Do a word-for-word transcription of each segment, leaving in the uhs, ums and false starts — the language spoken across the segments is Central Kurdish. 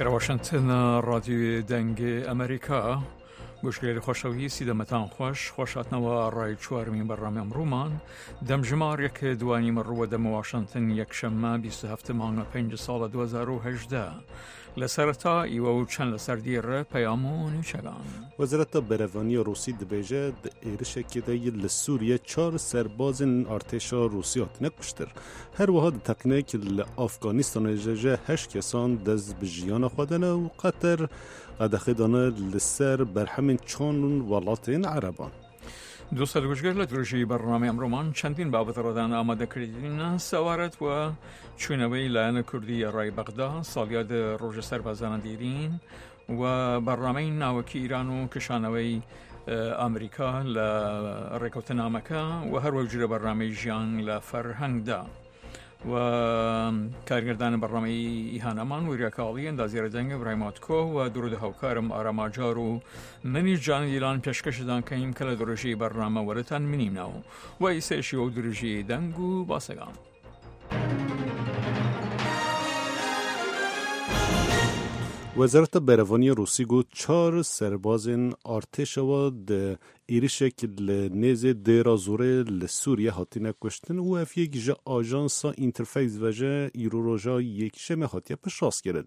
واشنگتن رادیۆ دەنگ ئەمریکا گوشگەری خۆشەویستی دەمەتان خۆش خۆشاتنەوە ڕای چوارمین بەرنامە ئەمڕۆمان دەمژمار یەک دوانی مەڕووە دەمە واشنگتن یەکشەممە بیست و هەفت مانگە پێنج ساڵە دوو هەزار و هەژدە لە سەرەتا ئیوە و چەند لەسەر دیڕە پەیام و نوچەگان. وەزارەتە بەرەڤانی ڕوسی دەبێژە ئێرشێکێدا لە سووریە چوار سەربازên artêşa Rûsî hatine kuştin. Her wiha di teqînek li Afganistanê ji heşt kesan dest bi jiyana xwe dane û Qeter qedexê dane li ser berhemên çand welatên Ereban. دووسەد گوشگەر لە درێژی بەرنامەی ئەمڕۆمان چەندین بابەت ڕەدان ئامادەکردین سەوارەت وە چوونەوەی لایەنە کوردی ڕای بەغدا ساڵیاد ڕۆژە سەربازانە دیرین و بەرنامەی ناوەکی ئیران و کشانەوەی ئەمریکا لە ڕێکەوتنامەکە و هەروەک جورە بەرنامەی ژیان لە فەرهەنگدا و کارگردان بەرنامەی ئیهانەمان وریاکاڵی ئەندازیارە دەنگە برایماتکۆ و درود هاوکارم ئاراماجار و منیش جان دیلان پێشکەشدان کەیم کە لە درێژی بەرنامە وەرەتان منیمنەوە و ئیسێشی و درێژی دەنگ و باسەگان. وەزارەتە بەرەڤانی ڕوسی گوت چوار سەربازên artêşewa di êrişek li nêzê Dêra Zorê li Sûriye hatine kuştin û ev yek ji ajansa Interfax ve ji îro roja yekşemê hatiye piştrast kirin.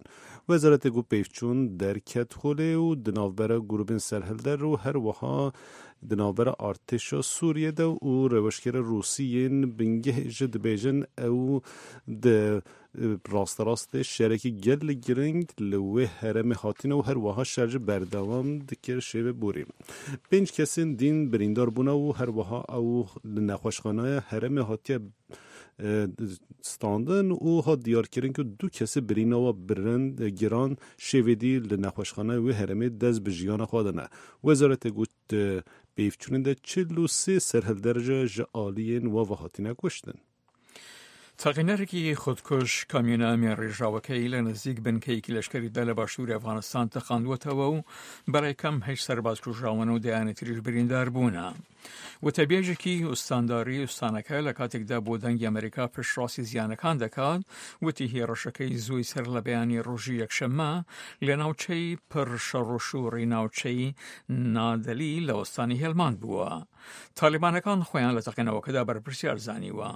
Wezaretê got pêvçûn derket holê û di navbera grûbên serhilder û her wiha di navbera artêşa Sûriye de û rêweşkera Rûsî yên bingehê ji dibêjin ew di ڕاستەڕاستێ şerekî gelek giring li wê herêmê hatine û her wiha şer ji berdewam dikir şêve borî. Pênc kesên dîn birîndar bûne û her wiha ew li nexweşxaneya herêmê hatiye standin û hat diyarkirin ku du kesê birîna we birin giran şêvedî li nexweşxaneya wê herêmê dest bi jiyana xwe dane. Wezaretê got pêvçûnê de çil û sê serhilder ji aliyên we ve hatine kuştin. تەقینەرێکی خودکوش کامیۆنە مێڕێژراوەکەی لە نزیک بنکەیەکی لەشکەریدا لە باشووری ئەفغانستان تەقاندووەتەوە و بەڕای کەم هەشت سەرباز کوژراون و دەیانی تریش بریندار بوونە. وتەبێژێکی ئوستانداری ئوستانەکە لە کاتێکدا بۆ دەنگی ئەمریکا پشتڕاستی زیانەکان دەکات وتی هێڕەشەکەی زووی سەر لە بەیانی ڕۆژی یەکشەممە لە ناوچەی پڕشەڕۆشوڕی ناوچەی نادەلی لە ئوستانی هێلماند بووە. تالیبانەکان خۆیان لە تەقینەوەکەدا بەرپرسیار زانیوە.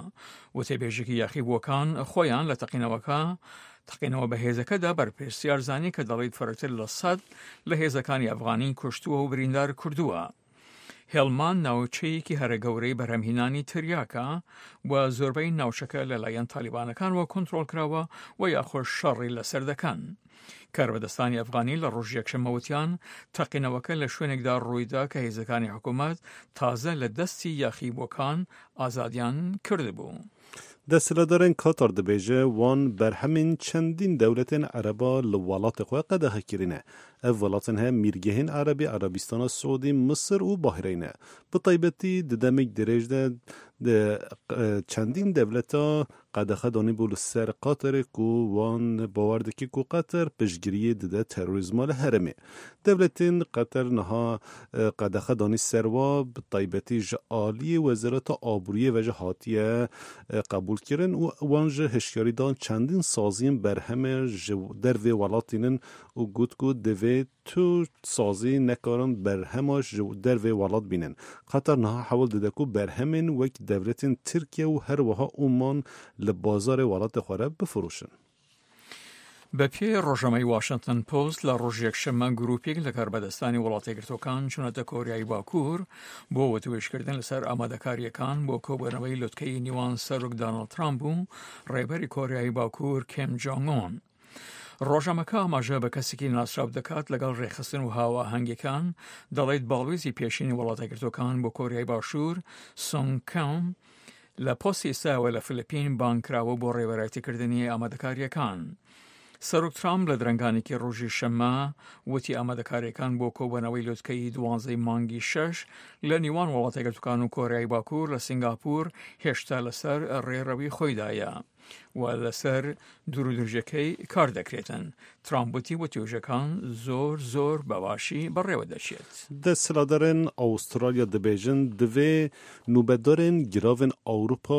وتەبێژێکی یاخیبووەکان خۆیان لە تەقینەوەکە تەقینەوە بە هێزەکەدا بەرپرسیار زانی کە دەڵێت فرەتر لە سەد لە هێزەکانی ئەفغانی کوشتووە و بریندار کردووە. هێڵمان ناوچەیەکی هەرە گەورەی بەرهەمهێنانی تریاکە و زۆربەی ناوچەکە لەلایەن تالیبانەکانەوە کۆنترۆڵ کراوە و یاخۆش شەڕی لەسەر دەکەن. کاربەدەستانی ئەفغانی لە ڕۆژ یەکشەممە وتیان تەقینەوەکە لە شوێنێکدا ڕوویدا کە هێزەکانی حکوومەت تازە لە دەستی یاخیبووەکان ئازادیان کردبوو. دەسەلاتدارên Katar dibêje wan berhemên çendîn dewletên Ereba li welatê xwe qedexe kirine. Ev welatên heye Mîrgehên Erebî, Erebistana Siûdî, Misir û Bahreyn e. Bi taybetî di demek dirêj de çendîn dewleta qedexe danîbû li ser Qatarê ku wan bawer dike ku Qeter piştgiriyê dide terorîzma li herêmê. Dewletên Qeter niha qedexe danî ser wa bi taybetî ji aliyê Wezareta Aboriyê ve ji hatiye qebûl kirin û wan ji hişyarî dan çendîn saziyên berhemê ji dervê welatînin û got ku divê tu sazî nekarin berhema ji dervê welat bînin. Qeter niha hewl dide ku berhemên wek dewletên Tirkiye û her wiha Oman li bazarê welatê xwe re bifiroşin. بەپێی ڕۆژنامەی واشنگتن پۆست لە ڕۆژ یەکشەممە گروپێک لە کاربەدەستانی وڵاتەیەکگرتووەکان چوونەتە کۆریای باکوور بۆ وتوێژکردن لەسەر ئامادەکاریەکان بۆ کۆبوونەوەی لوتکەی نێوان سەرۆک داناڵد ترامپ و ڕێبەری کۆریای باکوور کیم جۆنگ ئۆن. ڕۆژنامەکە ئاماژە بە کەسێکی ناسراو دەکات لەگەڵ ڕێکخستن و هاوئاهەنگیەکان دەڵێت باڵوێزی پێشینی وڵاتەیەکگرتووەکان بۆ کۆریای باشوور سۆنگ کام لە پۆستی ئێستاوە لە فلیپین بانگ کراوە بۆ ڕێبەرایەتیکردنی ئامادەکاریەکان. سەرۆک ترامپ لە درەنگانێکی ڕۆژی شەممە وتی ئامادەکاریەکان بۆ کۆبوونەوەی لوتکەی دوانزەی مانگی شەش لە نێوان وڵاتەیەکگرتووەکان و کۆریای باکوور لە سنگاپور هێشتا لەسەر ڕێڕەوی خۆیدایە و لەسەر دوورودرێژەکەی کار دەکرێتن. ترامپ وتی وتوێژەکان زۆر زۆر بەباشی بەڕێوە دەچێت. دەسەلاتدارên Awistralya dibêjin divê nûbedarên giravên Ewropa